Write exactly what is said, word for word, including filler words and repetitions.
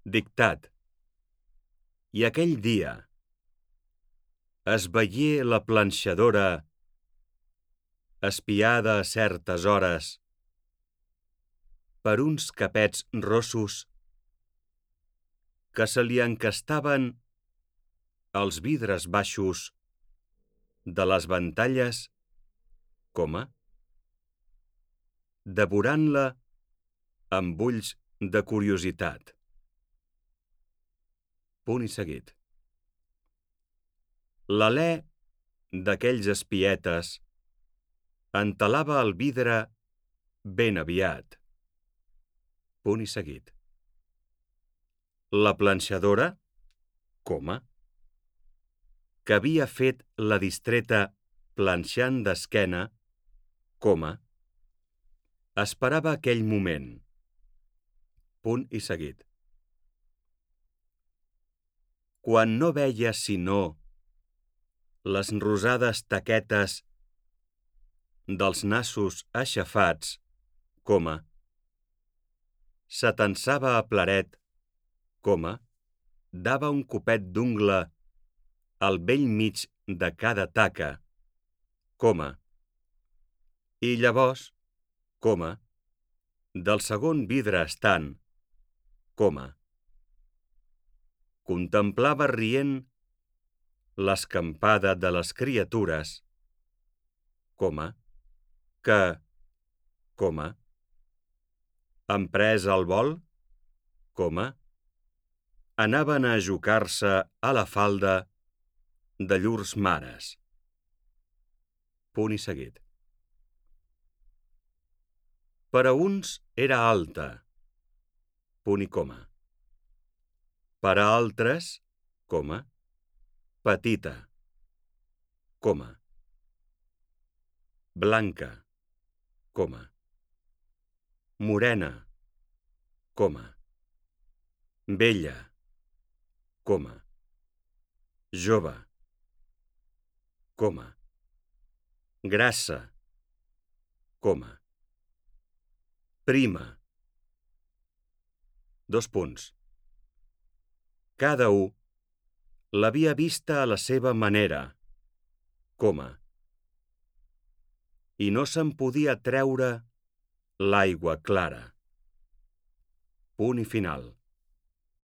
Dictat. I aquell dia es veié la planxadora espiada a certes hores per uns capets rossos que se li encastaven als vidres baixos de les ventalles, coma, devorant-la amb ulls de curiositat. Punt i seguit. L'alè d'aquells espietes entelava el vidre ben aviat. Punt i seguit. La planxadora, coma, que havia fet la distreta planxant d'esquena, coma, esperava aquell moment. Punt i seguit. Quan no veia sinó les rosades taquetes dels nassos aixafats, coma, s'atensava a plaret, coma, dava un copet d'ungla al bell mig de cada taca, coma, i llavors, coma, del segon vidre estant, coma, contemplava rient l'escampada de les criatures, coma, que, coma, emprès el vol, coma, anaven a ajocar-se a la falda de llurs mares. Punt i seguit. Per a uns era alta, punt i coma. Per a altres, coma, petita, coma, blanca, coma, morena, coma, vella, coma, jove, coma, grassa, coma, prima. Dos punts. Cada u l'havia vista a la seva manera, coma, i no se'n podia treure l'aigua clara. Punt i final.